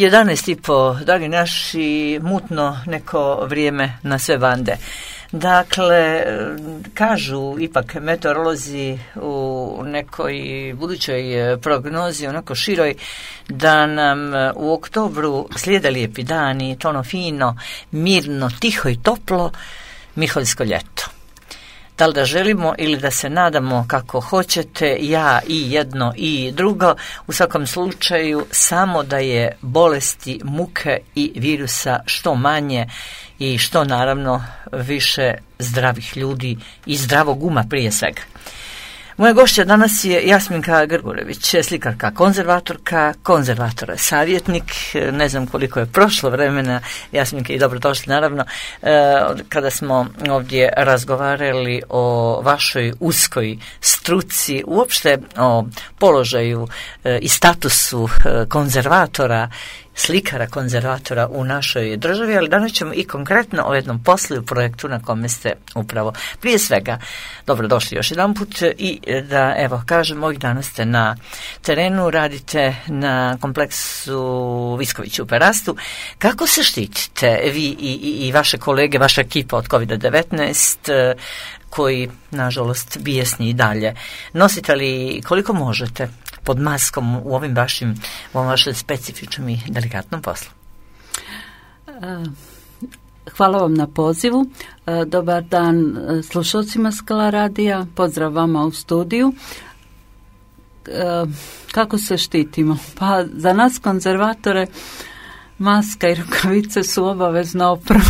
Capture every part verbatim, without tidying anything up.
jedanaest i po, dragi naši, mutno neko vrijeme na sve bande. Dakle, kažu ipak meteorolozi u nekoj budućoj prognozi, onako široj, da nam u oktobru slijede lijepi dani, tono fino, mirno, tiho i toplo, miholjsko ljeto. Da li da želimo ili da se nadamo kako hoćete, ja i jedno i drugo, u svakom slučaju samo da je bolesti, muke i virusa što manje i što naravno više zdravih ljudi i zdravog uma prije svega. Moja gošća danas je Jasminka Grgurević, slikarka, konzervatorka, konzervatora savjetnik. Ne znam koliko je prošlo vremena, Jasminka, i dobrodošli naravno, kada smo ovdje razgovarali o vašoj uskoj struci, uopšte o položaju i statusu konzervatora, slikara, konzervatora u našoj državi, ali danas ćemo i konkretno o jednom poslu i projektu na kome ste upravo. Prije svega, dobrodošli još jedan put i da, evo, kažem, ovih dana ste na terenu, radite na kompleksu Visković u Perastu. Kako se štitite vi i, i, i vaše kolege, vaša ekipa od kovid devetnaest, koji, nažalost, bijesni i dalje? Nosite li koliko možete pod maskom u ovim vašim, u ovom vašem specifičnom i delikatnom poslu? Hvala vam na pozivu. Dobar dan slušalcima Skala radija. Pozdrav vama u studiju. Kako se štitimo? Pa za nas konzervatore maska i rukavice su obavezna oprava.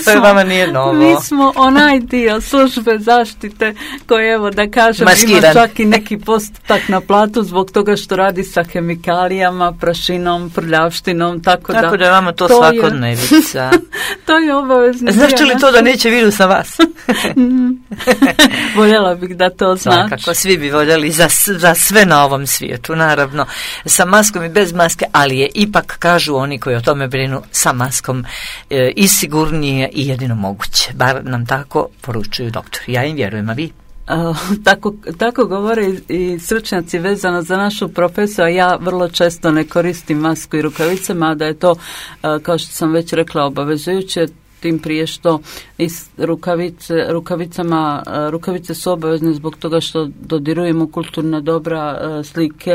To je vama nije novo. Mi smo onaj dio službe zaštite koji, evo da kažem, maskiran. Ima čak i neki postotak na platu zbog toga što radi sa hemikalijama, prašinom, prljavštinom, tako, tako da... Tako da je vama to, to svakodnevica. Je, to je obavezno. Znači li to da neće virus na vas? Voljela bih da to znači. Svakako, svi bi voljeli za, za sve na ovom svijetu, naravno. Sa maskom i bez maske, ali je ipak, kažu oni koji o tome brinu, sa maskom e, i sigurnije i jedino moguće. Bar nam tako poručuju doktori. Ja im vjerujem, a vi? Uh, tako, tako govore i, i stručnjaci vezano za našu profesiju, a ja vrlo često ne koristim masku i rukavice, mada je to, uh, kao što sam već rekla, obavezujuće, tim prije što i rukavice, rukavicama, rukavice su obavezne zbog toga što dodirujemo kulturna dobra, slike,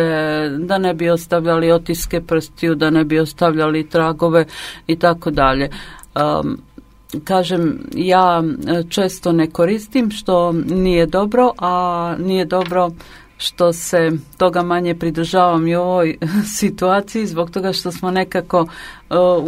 da ne bi ostavljali otiske prstiju, da ne bi ostavljali tragove i tako dalje. Um, Kažem, ja često ne koristim, što nije dobro, a nije dobro što se toga manje pridržavam i u ovoj situaciji zbog toga što smo nekako uh,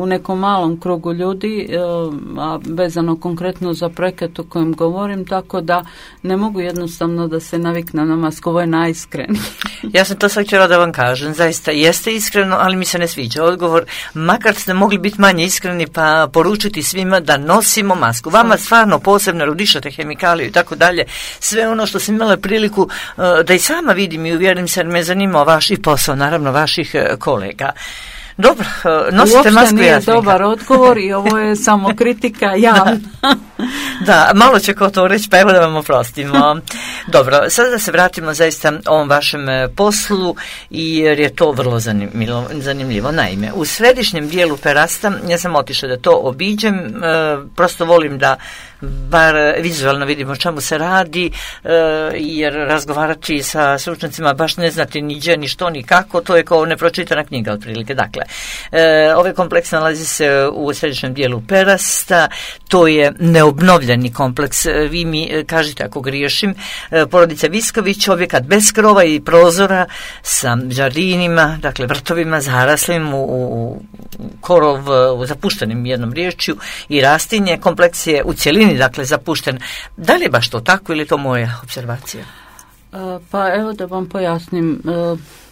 u nekom malom krugu ljudi, uh, a vezano konkretno za projekat o kojem govorim, tako da ne mogu jednostavno da se naviknem na masku. Ovo je najiskrenije. Ja sam to sad htjela da vam kažem, zaista jeste iskreno, ali mi se ne sviđa odgovor, makar ste mogli biti manje iskreni pa poručiti svima da nosimo masku. Vama stvarno posebno rudišate hemikaliju i tako dalje, sve ono što sam imala priliku uh, da i sama vidim i uvjerim se, me zanima vaš i posao, naravno vaših uh, kolega. Dobro, nosite masku. Uopšte nije Jasminka. Dobar odgovor i ovo je samo kritika javna. Da. Da, malo će ko to reći, pa evo da vam oprostimo. Dobro, sada da se vratimo zaista ovom vašem poslu, jer je to vrlo zanimljivo. zanimljivo. Naime, u središnjem dijelu Perasta, ja sam otišla da to obiđem, e, prosto volim da bar vizualno vidimo o čemu se radi, e, jer razgovarati sa stručnjacima baš ne znate ni gdje, ni što, ni kako, to je kao nepročitana knjiga otprilike. Dakle, e, ovaj kompleks nalazi se u središnjem dijelu Perasta, to je neobnovljeni kompleks, vi mi kažete ako griješim, porodica Visković, objekat bez krova i prozora sa žardinima, dakle vrtovima zaraslim u, u korov, u zapuštenim jednom riječju i rastinje. Kompleks je u cjelini, dakle, zapušten. Da li je baš to tako ili je to moja observacija? Pa evo da vam pojasnim.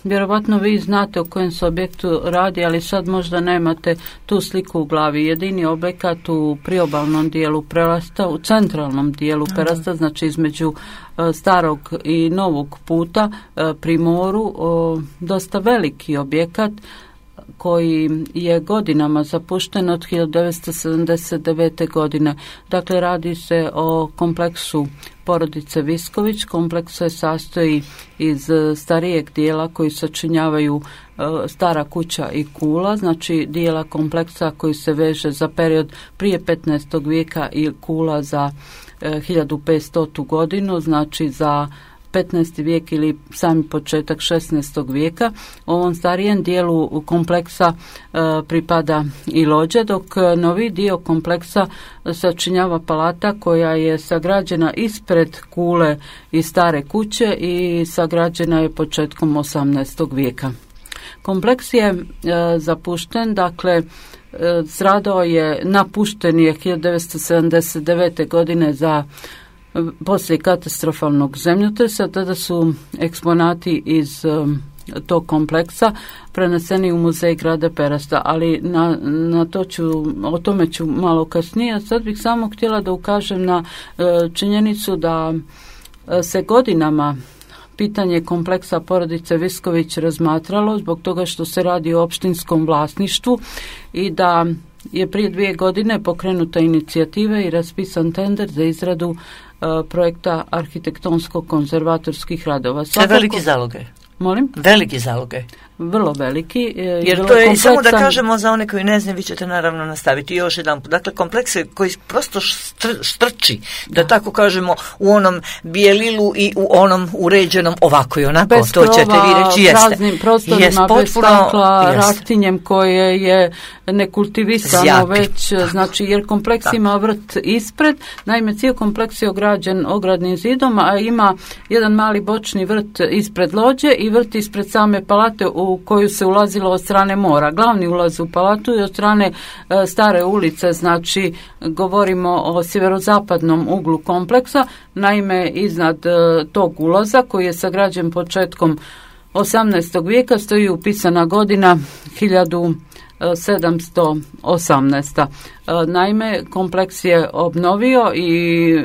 Vjerovatno vi znate o kojem se objektu radi, ali sad možda nemate tu sliku u glavi. Jedini objekat u priobalnom dijelu Perasta, u centralnom dijelu Perasta, znači između starog i novog puta pri moru, dosta veliki objekat. koji je godinama zapušten od hiljadu devetsto sedamdeset devete. godine. Dakle, radi se o kompleksu porodice Visković. Kompleks se sastoji iz starijeg dijela koji sačinjavaju stara kuća i kula, znači dijela kompleksa koji se veže za period prije petnaestog vijeka i kula za hiljadu petstotu godinu, znači za petnaesti vijek ili sami početak šesnaestog vijeka. Ovom starijem dijelu kompleksa e, pripada i lođe, dok novi dio kompleksa sačinjava palata koja je sagrađena ispred kule i stare kuće i sagrađena je početkom osamnaestog vijeka. Kompleks je e, zapušten, dakle stradao je, napušten je hiljadu devetsto sedamdeset devete. godine za poslije katastrofalnog zemljotresa. Tada su eksponati iz um, tog kompleksa preneseni u muzej grada Perasta, ali na, na to ću, o tome ću malo kasnije. A sad bih samo htjela da ukažem na uh, činjenicu da uh, se godinama pitanje kompleksa porodice Visković razmatralo zbog toga što se radi o opštinskom vlasništvu i da je prije dvije godine pokrenuta inicijativa i raspisan tender za izradu uh, projekta arhitektonsko-konzervatorskih radova. Svakako, veliki zalogaj. Molim? Veliki zalogaj. Vrlo veliki. Jer to je, kompleksan... samo da kažemo za one koji ne znaju, vi ćete naravno nastaviti još jedan put. Dakle, kompleks koji prosto štr, štrči, da, da tako kažemo, u onom bijelilu i u onom uređenom ovako i onako. Bez to ćete vi reći, jeste. Praznim prostorima, jest, bez stakla, rastinjem koje je nekultivisano Zjapi. već, znači, jer kompleks tako. ima vrt ispred. Naime, cijel kompleks je ograđen ogradnim zidom, a ima jedan mali bočni vrt ispred lođe i vrt ispred same palate u u koju se ulazilo od strane mora. Glavni ulaz u palatu je od strane e, stare ulice, znači govorimo o sjeverozapadnom uglu kompleksa. Naime, iznad e, tog ulaza koji je sagrađen početkom osamnaestog vijeka stoji upisana godina hiljadu sedamsto osamnaesta. Naime, kompleks je obnovio i e,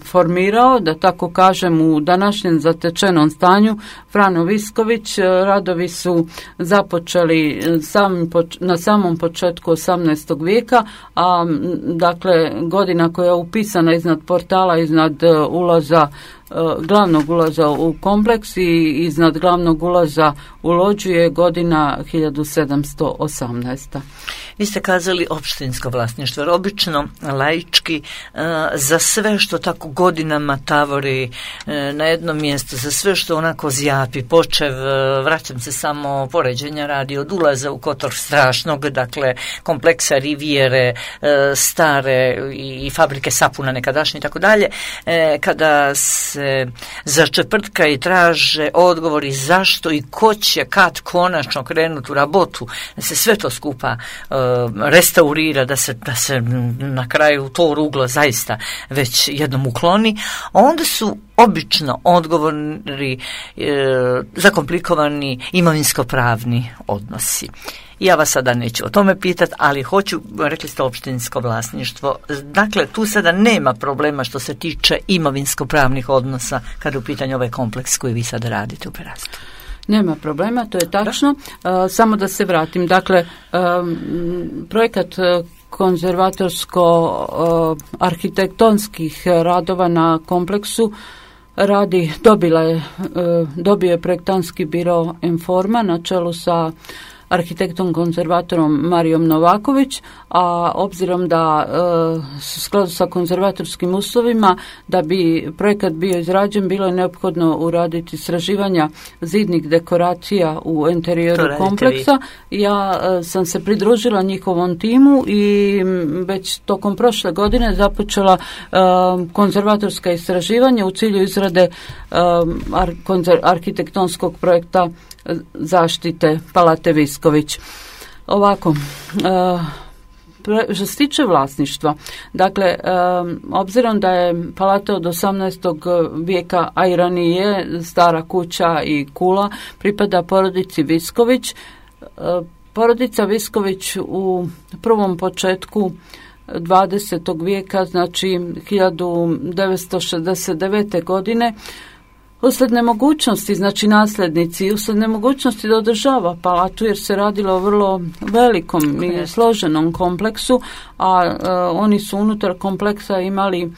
formirao, da tako kažem, u današnjem zatečenom stanju Frano Visković. Radovi su započeli sam, na samom početku osamnaestog vijeka, a dakle godina koja je upisana iznad portala, iznad ulaza glavnog ulaza u kompleks i iznad glavnog ulaza u lođu je godina hiljadu sedamsto osamnaesta. Vi ste kazali opštinsko vlasništvo, jer obično laički za sve što tako godinama tavori na jednom mjestu, za sve što onako zjapi, počev, vraćam se samo poređenja radi od ulaza u Kotor Strašnog, dakle kompleksa Rivijere, stare i fabrike sapuna nekadašnje i tako dalje, kada se začeprtka i traže odgovori zašto i ko će kad konačno krenuti u rabotu, da se sve to skupa restaurira, da se, da se na kraju to ruglo zaista već jednom ukloni, onda su obično odgovori e, zakomplikovani imovinsko-pravni odnosi. Ja vas sada neću o tome pitati, ali hoću, rekli ste opštinsko vlasništvo, dakle tu sada nema problema što se tiče imovinsko-pravnih odnosa kada je u pitanju ovaj kompleks koji vi sada radite u Perastu. Nema problema, to je tačno. Uh, samo da se vratim. Dakle, um, projekat konzervatorsko-arhitektonskih radova na kompleksu radi, dobila je, uh, dobio je projektantski biro Informa na čelu sa arhitektom konzervatorom Marijom Novaković, a obzirom da e, u skladu sa konzervatorskim uslovima da bi projekat bio izrađen, bilo je neophodno uraditi istraživanja zidnih dekoracija u interijeru kompleksa. Ja e, sam se pridružila njihovom timu i već tokom prošle godine započela e, konzervatorska istraživanja u cilju izrade e, ar, konzer, arhitektonskog projekta zaštite Palate Visković. Ovako, uh, što se tiče vlasništva, dakle, um, obzirom da je palata od osamnaestog vijeka, a i ranije stara kuća i kula, pripada porodici Visković. Uh, porodica Visković u prvom početku dvadesetog vijeka, znači hiljadu devetsto šezdeset devete. godine, usled nemogućnosti, znači nasljednici, usled nemogućnosti da održava palatu, jer se radilo o vrlo velikom i složenom kompleksu, a e, oni su unutar kompleksa imali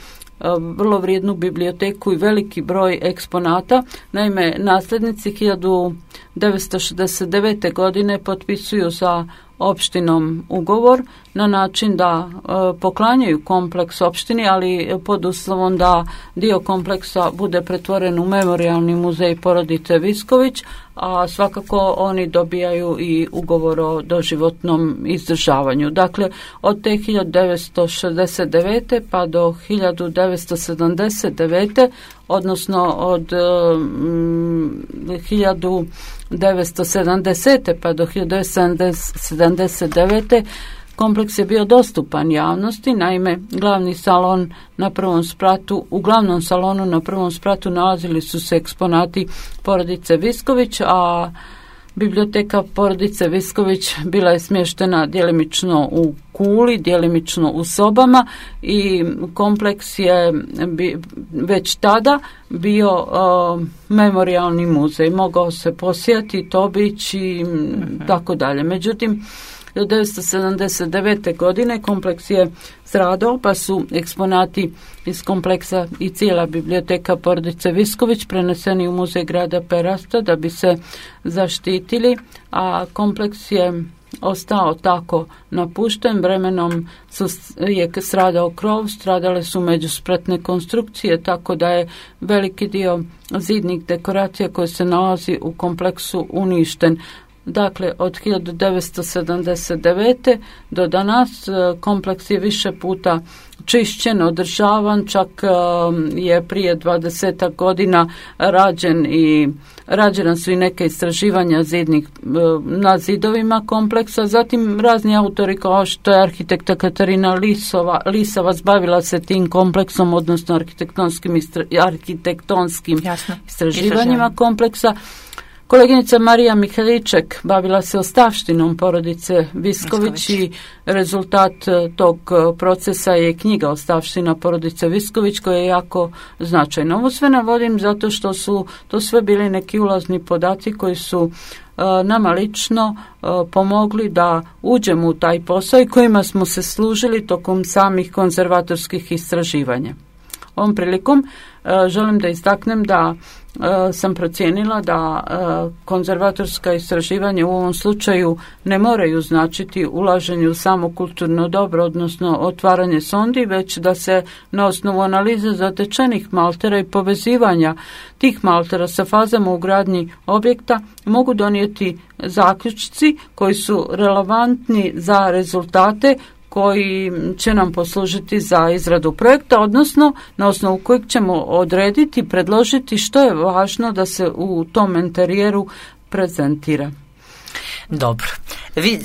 vrlo vrijednu biblioteku i veliki broj eksponata. Naime, nasljednici hiljadu devetsto šezdeset devete. godine potpisuju sa opštinom ugovor na način da e, poklanjaju kompleks opštini, ali pod uslovom da dio kompleksa bude pretvoren u memorijalni muzej porodice Visković, a svakako oni dobijaju i ugovor o doživotnom izdržavanju. Dakle, od te hiljadu devetsto šezdeset devete. pa do hiljadu devetsto sedamdeset devete. odnosno od um, hiljadu devetsto sedamdesete. pa do hiljadu devetsto sedamdeset devete. kompleks je bio dostupan javnosti. Naime, glavni salon na prvom spratu, u glavnom salonu na prvom spratu nalazili su se eksponati porodice Visković, a biblioteka porodice Visković bila je smještena djelimično u kuli, djelimično u sobama i kompleks je bi, već tada bio uh, memorijalni muzej. Mogao se posjetiti, obići i uh-huh. tako dalje. Međutim, hiljadu devetsto sedamdeset devete. godine kompleks je stradao, pa su eksponati iz kompleksa i cijela biblioteka porodice Visković preneseni u muzej grada Perasta da bi se zaštitili, a kompleks je ostao tako napušten. Vremenom su, je stradao krov, stradale su međuspratne konstrukcije, tako da je veliki dio zidnih dekoracija koje se nalazi u kompleksu uništen. Dakle, od hiljadu devetsto sedamdeset devete. do danas kompleks je više puta čišćen, održavan, čak je prije dvadesetak godina rađen i rađena su i neke istraživanja zidnih na zidovima kompleksa. Zatim razni autori kao što je arhitekta Katarina Lisova, Lisovac bavila se tim kompleksom, odnosno arhitektonskim, istra, arhitektonskim Jasno. istraživanjima kompleksa. Koleginica Marija Mihaliček bavila se ostavštinom porodice Visković i rezultat tog procesa je knjiga Ostavština porodice Visković koja je jako značajna. Ovo sve navodim zato što su to sve bili neki ulazni podaci koji su uh, nama lično uh, pomogli da uđemo u taj posao i kojima smo se služili tokom samih konzervatorskih istraživanja. Ovom prilikom uh, želim da istaknem da Uh, sam procijenila da uh, konzervatorska istraživanja u ovom slučaju ne moraju značiti ulaženje u samo kulturno dobro, odnosno otvaranje sondi, već da se na osnovu analize zatečenih maltera i povezivanja tih maltera sa fazama u gradnji objekta mogu donijeti zaključci koji su relevantni za rezultate koji će nam poslužiti za izradu projekta, odnosno na osnovu kojeg ćemo odrediti, predložiti što je važno da se u tom interijeru prezentira. Dobro. Vi,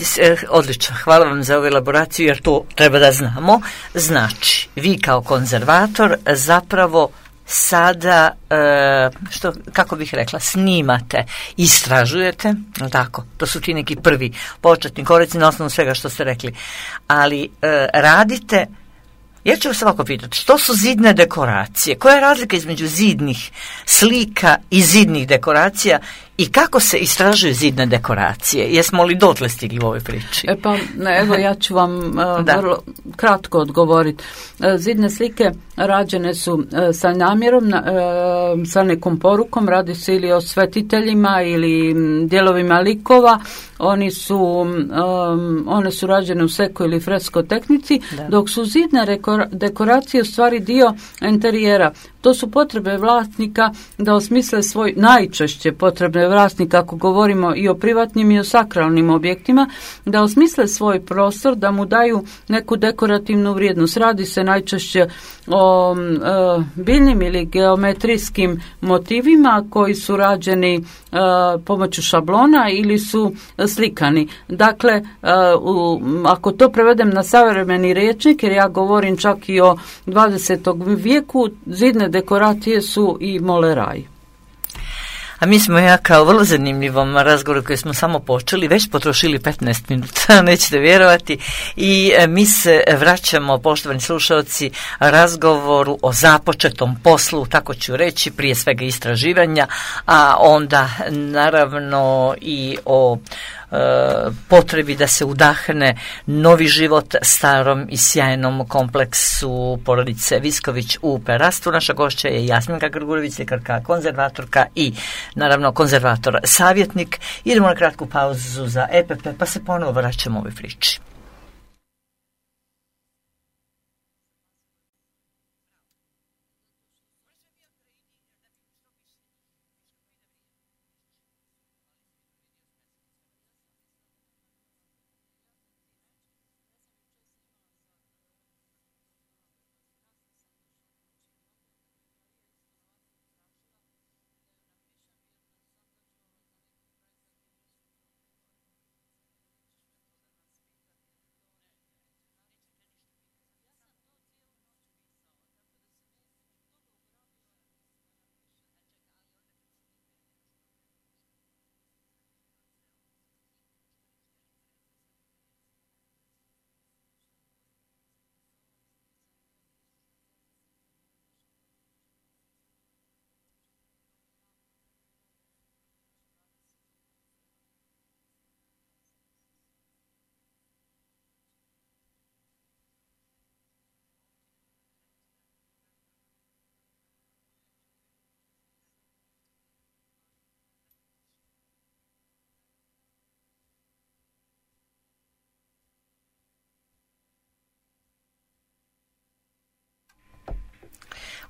odlično, hvala vam za ovu elaboraciju jer to treba da znamo. Znači, vi kao konzervator zapravo sada, e, što, kako bih rekla, snimate, istražujete, tako, to su ti neki prvi početni koraci na osnovu svega što ste rekli, ali e, radite, ja ću vas ovako pitati, što su zidne dekoracije, koja je razlika između zidnih slika i zidnih dekoracija i kako se istražuju zidne dekoracije? Jesmo li dotle stigli u ovoj priči? E pa, evo, ja ću vam uh, vrlo kratko odgovoriti. Uh, zidne slike rađene su uh, sa namjerom, uh, sa nekom porukom, radi se ili o svetiteljima ili um, dijelovima likova. Oni su, um, one su rađene u seko ili fresko tehnici, da. Dok su zidne rekor- dekoracije u stvari dio interijera. To su potrebe vlasnika da osmisle svoj, najčešće potrebe vlasnika, ako govorimo i o privatnim i o sakralnim objektima, da osmisle svoj prostor, da mu daju neku dekorativnu vrijednost. Radi se najčešće o e, biljnim ili geometrijskim motivima koji su rađeni e, pomoću šablona ili su slikani. Dakle, e, u, ako to prevedem na savremeni rječnik, jer ja govorim čak i o dvadesetom vijeku, zidne dekoracije su i moleraj. A mi smo ja kao vrlo zanimljivom razgovoru koji smo samo počeli, već potrošili petnaest minuta, nećete vjerovati, i mi se vraćamo, poštovani slušalci, razgovoru o započetom poslu, tako ću reći, prije svega istraživanja, a onda naravno i o potrebi da se udahne novi život starom i sjajnom kompleksu porodice Visković u Perastu. Naša gošća je Jasminka Grgurević, slikarka, konzervatorka i naravno konzervator savjetnik. Idemo na kratku pauzu za E P P, pa se ponovo vraćamo ovoj priči.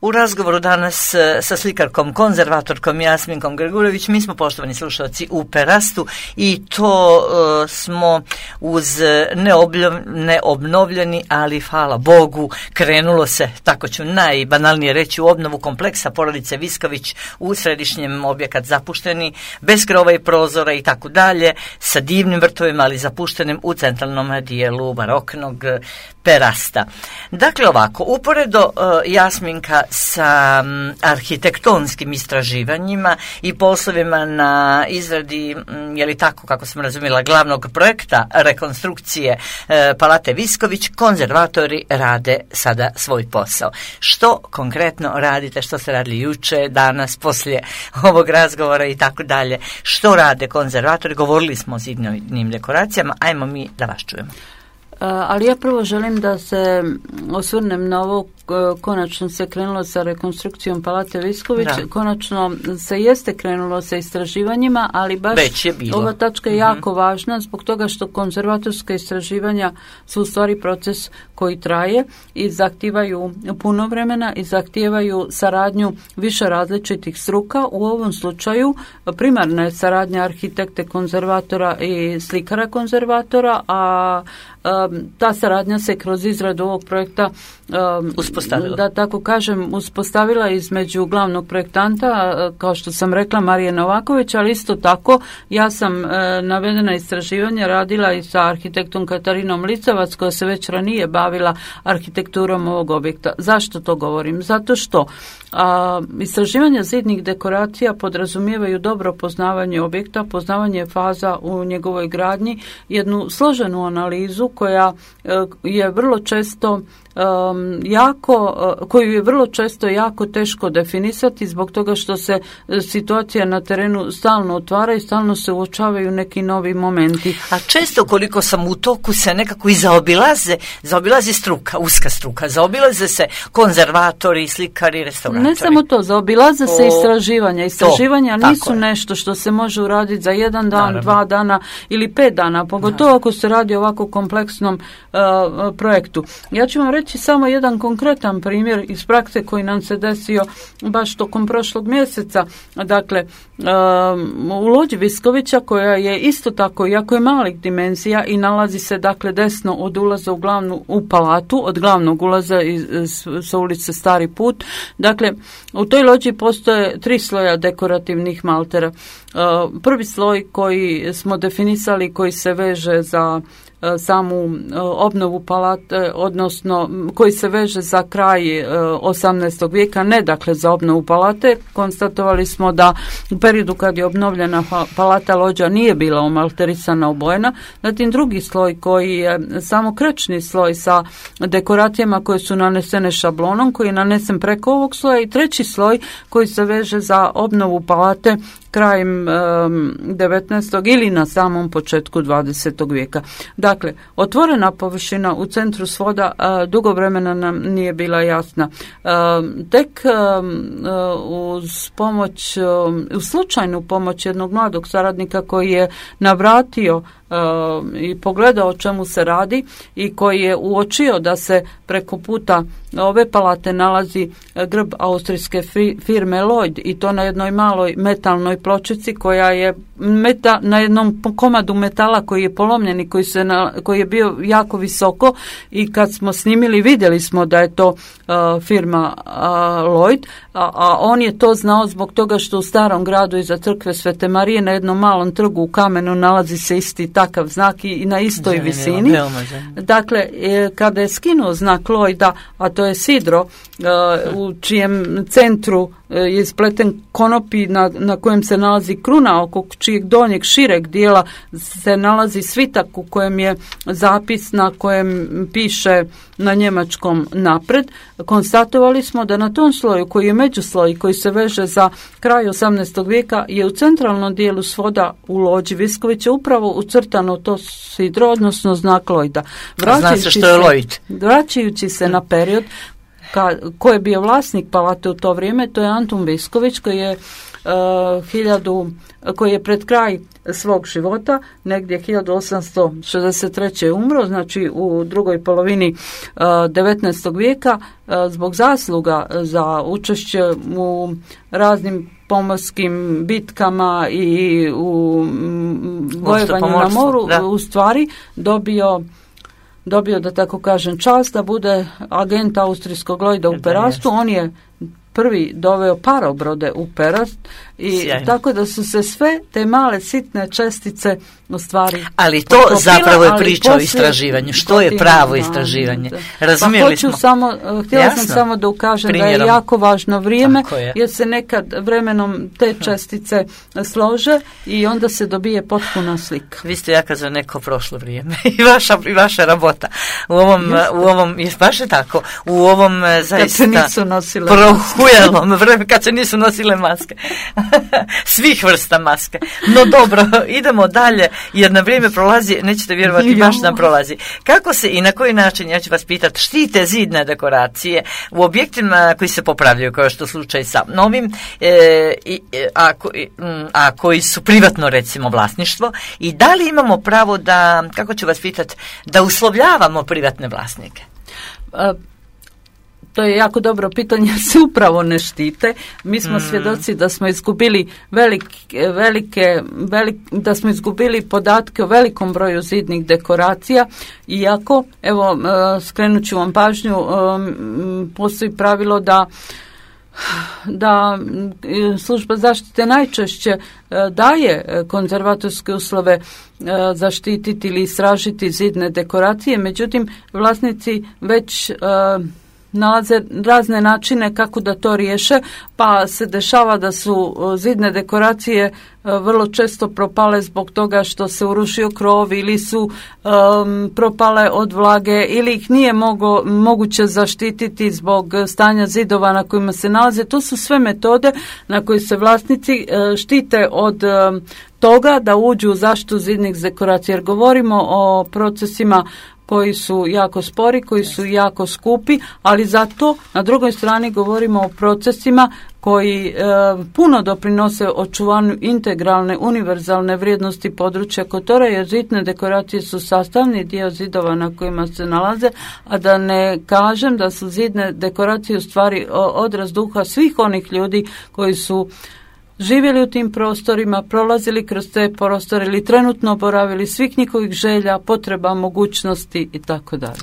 U razgovoru danas sa slikarkom, konzervatorkom Jasminkom Grgurević, mi smo, poštovani slušalci, u Perastu i to uh, smo uz neobljov, neobnovljeni, ali hvala Bogu, krenulo se, tako ću najbanalnije reći, u obnovu kompleksa porodice Visković u središnjem, objekat zapušteni, bez krova i prozora i tako dalje, sa divnim vrtovima, ali zapuštenim u centralnom dijelu baroknog Perasta. Dakle, ovako, uporedo uh, Jasminka sa um, arhitektonskim istraživanjima i poslovima na izradi, um, je li tako, kako sam razumjela, glavnog projekta rekonstrukcije uh, Palate Visković, konzervatori rade sada svoj posao. Što konkretno radite, što ste radili juče, danas, poslije ovog razgovora i tako dalje? Što rade konzervatori? Govorili smo o zidnim dekoracijama, ajmo mi da vas čujemo. Ali ja prvo želim da se osvrnem na ovo, konačno se krenulo sa rekonstrukcijom Palate Visković, da. Konačno se jeste krenulo sa istraživanjima, ali baš ova tačka je mm-hmm. jako važna zbog toga što konzervatorska istraživanja su u stvari proces koji traje i zahtijevaju puno vremena i zahtijevaju saradnju više različitih struka. U ovom slučaju primarna je saradnja arhitekte konzervatora i slikara konzervatora, a ta saradnja se kroz izradu ovog projekta um, uspostavila. Da tako kažem, uspostavila između glavnog projektanta, kao što sam rekla, Marije Novaković, ali isto tako ja sam e, navedena istraživanja radila i sa arhitektom Katarinom Licevac, koja se već ranije bavila arhitekturom ovog objekta. Zašto to govorim? Zato što a, istraživanja zidnih dekoracija podrazumijevaju dobro poznavanje objekta, poznavanje faza u njegovoj gradnji, jednu složenu analizu koja je vrlo često um, jako, koju je vrlo često jako teško definisati zbog toga što se situacija na terenu stalno otvara i stalno se uočavaju neki novi momenti. A često koliko sam u toku se nekako i zaobilaze, zaobilazi struka, uska struka, zaobilaze se konzervatori, slikari, restauratori. Ne samo to, zaobilaze se o, istraživanja. Istraživanja to, nisu nešto što se može uraditi za jedan dan, Naravno. dva dana ili pet dana, pogotovo Naravno. ako se radi o ovako kompleksnom uh, projektu. Ja ću vam reći samo jedan konkretan primjer iz prakse koji nam se desio baš tokom prošlog mjeseca. Dakle, uh, u lođi Viskovića, koja je isto tako, jako je malih dimenzija i nalazi se dakle desno od ulaza u glavnu u palatu, od glavnog ulaza iz, sa ulice Stari put. Dakle, u toj lođi postoje tri sloja dekorativnih maltera. Uh, prvi sloj koji smo definisali, koji se veže za samu obnovu palate, odnosno koji se veže za kraj osamnaestog vijeka, ne dakle za obnovu palate. Konstatovali smo da u periodu kad je obnovljena palata lođa nije bila omalterisana, obojena. Zatim drugi sloj koji je samo krečni sloj sa dekoracijama koje su nanesene šablonom, koji je nanesen preko ovog sloja, i treći sloj koji se veže za obnovu palate krajem um, devetnaestog ili na samom početku dvadesetog vijeka. Dakle, otvorena površina u centru svoda uh, dugo vremena nam nije bila jasna. Uh, tek um, uh, uz pomoć, um, uz slučajnu pomoć jednog mladog saradnika koji je navratio uh, i pogledao o čemu se radi i koji je uočio da se preko puta ove palate nalazi grb austrijske firme Lloyd, i to na jednoj maloj metalnoj pločici koja je meta, na jednom komadu metala koji je polomljen i koji, se na, koji je bio jako visoko, i kad smo snimili vidjeli smo da je to uh, firma uh, Lloyd, a, a on je to znao zbog toga što u starom gradu iza crkve Svete Marije na jednom malom trgu u kamenu nalazi se isti takav znak i, i na istoj zanimljivo, visini. Dakle, e, kada je skinuo znak Lloyda, a to je sidro, uh, u čijem centru je ispleten konopi na, na kojem se nalazi kruna, oko čijeg donjeg šireg dijela se nalazi svitak u kojem je zapis na kojem piše na njemačkom napred. Konstatovali smo da na tom sloju koji je međusloj, koji se veže za kraj osamnaestog vijeka, je u centralnom dijelu svoda u lođi Viskovića upravo ucrtano to sidro, odnosno znak Lloyda. Zna se što je Lloyd. Vraćajući se na period Ka, ko je bio vlasnik palate u to vrijeme, to je Antun Visković, koji je uh, hiljadu, koji je pred kraj svog života, negdje hiljadu osamsto šezdeset treće umro, znači u drugoj polovini uh, devetnaestog vijeka, uh, zbog zasluga za učešće u raznim pomorskim bitkama i u bojevanju na moru, da. U stvari dobio dobio, da tako kažem, čast da bude agent austrijskog Lloyda u Perastu. On je prvi doveo parobrode u Perast i sjajno. Tako da su se sve te male sitne čestice u stvari ali to potopila, zapravo je priča o istraživanju. Što je pravo istraživanje? Razumijeli pa smo. Samo, htjela Jasno. sam samo da ukažem Primjerom. da je jako važno vrijeme, je. jer se nekad vremenom te čestice slože i onda se dobije potpuna slika. Vi ste jaka za neko prošlo vrijeme i vaša, i vaša rabota. U ovom, u ovom, je baš je tako, u ovom zaista prohujelom vreme, kad se nisu nosile maske. Svih vrsta maske. No dobro, idemo dalje, jer na vrijeme prolazi, nećete vjerovati, baš nam prolazi. Kako se i na koji način, ja ću vas pitati, štite zidne dekoracije u objektima koji se popravljaju, kao što je slučaj sa novim, e, a, a koji su privatno, recimo, vlasništvo, i da li imamo pravo da, kako ću vas pitati, da uslovljavamo privatne vlasnike? A, to je jako dobro pitanje, se upravo ne štite. Mi smo mm. svjedoci da smo izgubili velike, velike, velik, da smo izgubili podatke o velikom broju zidnih dekoracija, iako, evo, skrenut ću vam pažnju, postoji pravilo da da služba zaštite najčešće daje konzervatorske uslove zaštititi ili istražiti zidne dekoracije, međutim vlasnici već nalaze razne načine kako da to riješe, pa se dešava da su zidne dekoracije vrlo često propale zbog toga što se urušio krov ili su um, propale od vlage ili ih nije mogo, moguće zaštititi zbog stanja zidova na kojima se nalaze. To su sve metode na koje se vlasnici uh, štite od um, toga da uđu u zaštitu zidnih dekoracija, jer govorimo o procesima koji su jako spori, koji su jako skupi, ali zato na drugoj strani govorimo o procesima koji e, puno doprinose očuvanju integralne, univerzalne vrijednosti područja Kotora, jer zidne dekoracije su sastavni dio zidova na kojima se nalaze, a da ne kažem da su zidne dekoracije u stvari odraz duha svih onih ljudi koji su živjeli u tim prostorima, prolazili kroz te prostore ili trenutno boravili, svih njihovih želja, potreba, mogućnosti i tako dalje.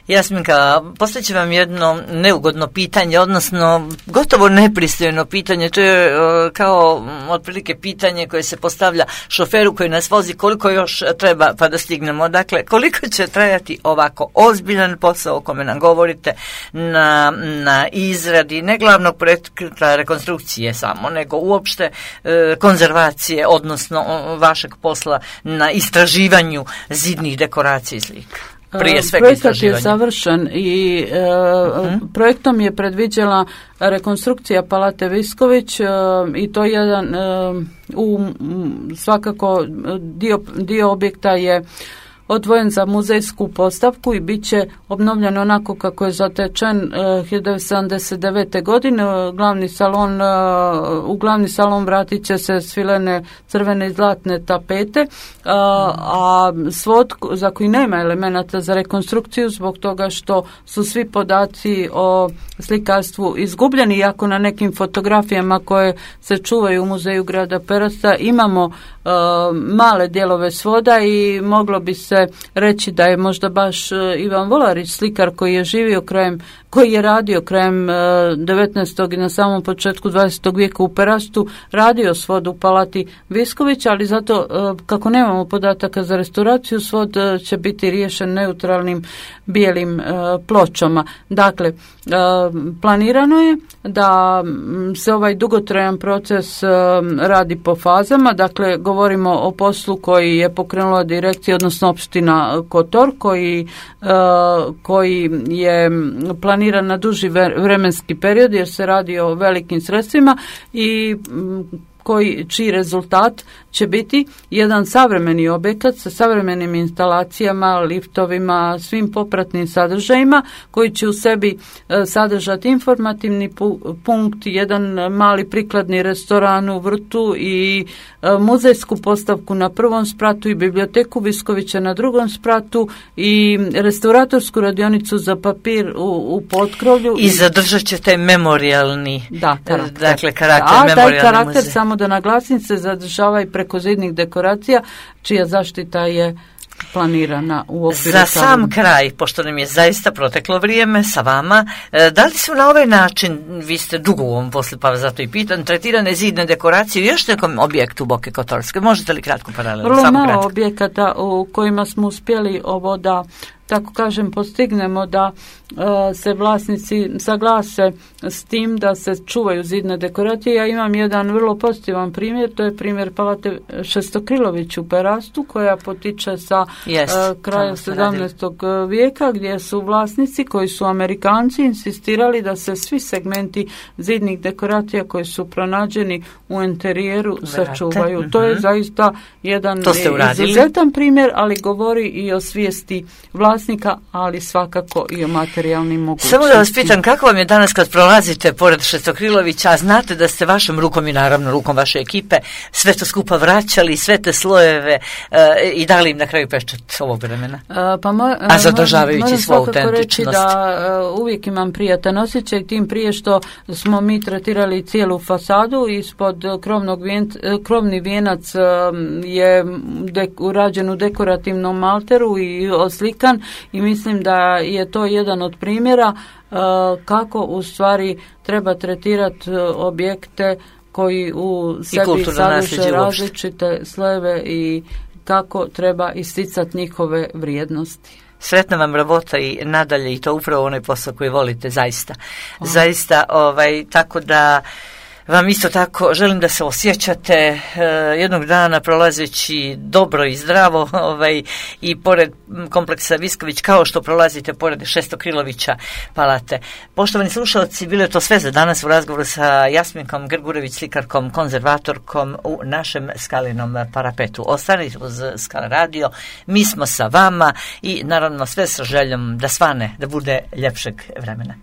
Jasminka, postavit vam jedno neugodno pitanje, odnosno gotovo nepristojno pitanje. To je uh, kao otprilike pitanje koje se postavlja šoferu koji nas vozi, koliko još treba pa da stignemo. Dakle, koliko će trajati ovako ozbiljan posao o kome nam govorite na, na izradi ne glavnog projekta rekonstrukcije samo, nego uopšte uh, konzervacije, odnosno uh, vašeg posla na istraživanju zidnih dekoracija i slika. Prije svega Projekat je završen i e, uh-huh. projektom je predviđala rekonstrukcija Palate Visković e, i to jedan e, u svakako dio, dio objekta je odvojen za muzejsku postavku i bit će obnovljen onako kako je zatečen uh, hiljadu devetsto sedamdeset devete. godine. Glavni salon, uh, u glavni salon vratit će se svilene crvene i zlatne tapete, uh, a svod za koji nema elemenata za rekonstrukciju zbog toga što su svi podaci o slikarstvu izgubljeni, iako na nekim fotografijama koje se čuvaju u muzeju grada Perasta imamo uh, male dijelove svoda i moglo bi se reći da je možda baš Ivan Volarić, slikar koji je živio krajem, koji je radio krajem devetnaestog i na samom početku dvadesetog vijeka u Perastu, radio svod u Palati Visković, ali zato kako nemamo podataka za restauraciju, svod će biti riješen neutralnim bijelim pločama. Dakle, planirano je da se ovaj dugotrajan proces radi po fazama, dakle govorimo o poslu koji je pokrenula direkcija, odnosno opština Kotor, koji, koji je planiran na duži vremenski period jer se radi o velikim sredstvima i koji, čiji rezultat će biti jedan savremeni objekat sa savremenim instalacijama, liftovima, svim popratnim sadržajima koji će u sebi e, sadržati informativni pu, punkt, jedan mali prikladni restoran u vrtu i e, muzejsku postavku na prvom spratu i biblioteku Viskovića na drugom spratu i restauratorsku radionicu za papir u, u potkrovlju. I zadržat će taj memorijalni da, karakter. Dakle, karakter A memorijalni taj karakter muzej. Samo da naglasim se zadržava i preko zidnih dekoracija čija zaštita je planirana u okviru. Za sam kraj, pošto nam je zaista proteklo vrijeme sa vama, da li su na ovaj način, vi ste dugo u ovom poslu pa zato i pitan, tretirane zidne dekoracije u još nekom objektu Boke Kotorske? Možete li kratko paralelno? Vrlo malo objekata u kojima smo uspjeli ovo da, tako kažem, postignemo da uh, se vlasnici saglase s tim da se čuvaju zidne dekoracije. Ja imam jedan vrlo pozitivan primjer, to je primjer Palate Šestokrilović u Perastu, koja potiče sa yes, uh, kraja sedamnaestog vijeka, gdje su vlasnici koji su Amerikanci insistirali da se svi segmenti zidnih dekoracija koji su pronađeni u interijeru sačuvaju. Mm-hmm. To je zaista jedan izuzetan primjer, ali govori i o svijesti vlasnika, ali svakako i o materijalnim mogućnostima. Samo da vas pitam, kako vam je danas kad prolazite pored Šestokrilovića, a znate da ste vašom rukom i naravno rukom vaše ekipe sve to skupa vraćali, sve te slojeve e, i dali im na kraju pečat ovog vremena? A, pa mo, a zadržavajući svu autentičnost. Reći da uh, uvijek imam prijatan osjećaj, tim prije što smo mi tretirali cijelu fasadu, ispod krovnog vijen, krovni vijenac uh, je de, urađen u dekorativnom malteru i oslikan i mislim da je to jedan od primjera uh, kako u stvari treba tretirati uh, objekte koji u sebi sadrže različite slojeve i kako treba isticati njihove vrijednosti. Sretna vam rabota i nadalje i to upravo onaj posao koji volite, zaista. Oh. Zaista, ovaj, tako da vam isto tako želim da se osjećate e, jednog dana prolazeći dobro i zdravo ovaj, i pored kompleksa Visković kao što prolazite pored Šestokrilovića Palate. Poštovani slušalci, bilo je to sve za danas u razgovoru sa Jasminkom Grgurević, slikarkom, konzervatorkom u našem Skalinom parapetu. Ostanite uz Skala radio, mi smo sa vama i naravno sve sa željom da svane, da bude ljepšeg vremena.